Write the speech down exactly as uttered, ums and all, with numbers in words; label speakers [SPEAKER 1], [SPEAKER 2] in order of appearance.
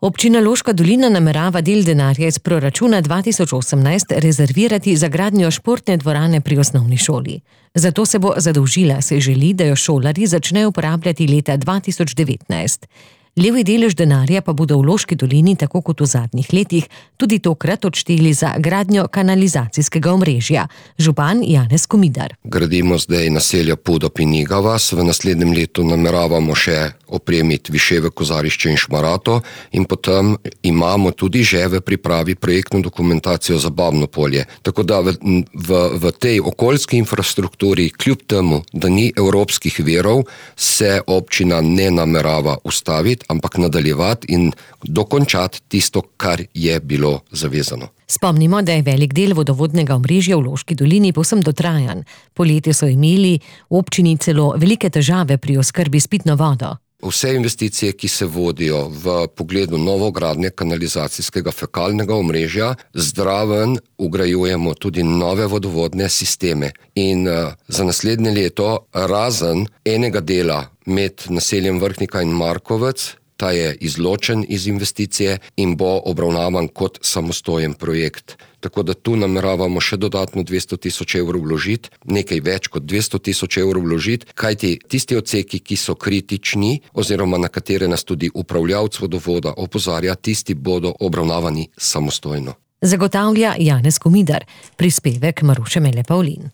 [SPEAKER 1] Občina Loška dolina namerava del denarja iz proračuna dva tisoč osemnajst rezervirati za gradnjo športne dvorane pri osnovni šoli. Zato se bo zadolžila, se želi, da jo šolarji začnejo uporabljati leta dva tisoč devetnajst. Levi delež denarja pa bodo v Loški dolini, tako kot v zadnjih letih, tudi tokrat odšteli za gradnjo kanalizacijskega omrežja. Župan Janez Komidar.
[SPEAKER 2] Gradimo zdaj naselja Podop in Igavas, v naslednjem letu nameravamo še opremiti Viševe, Kozarišče in Šmarato in potem imamo tudi že v pripravi projektno dokumentacijo za Babno Polje. Tako da v, v, v tej okoljski infrastrukturi, kljub temu, da ni evropskih virov, se občina ne namerava ustaviti, ampak nadaljevati in dokončati tisto, kar je bilo zavezano.
[SPEAKER 1] Spomnimo, da je velik del vodovodnega omrežja v Loški dolini povsem dotrajan. Poleti so imeli v občini celo velike težave pri oskrbi s pitno vodo.
[SPEAKER 2] Vse investicije, ki se vodijo v pogledu novogradnje kanalizacijskega fekalnega omrežja, zdraven ugrajujemo tudi nove vodovodne sisteme. In uh, za naslednje leto, razen enega dela med naseljem Vrhnika in Markovec, ta je izločen iz investicije in bo obravnavan kot samostojen projekt. Tako da tu nameravamo še dodatno dvesto tisoč evrov vložiti, nekaj več kot dvesto tisoč evrov vložiti, kajti tisti odseki, ki so kritični oziroma na katere nas tudi upravljavec vodovoda opozarja, tisti bodo obravnavani samostojno.
[SPEAKER 1] Zagotavlja Janez Komidar, prispevek Maruše Mele Pavlin.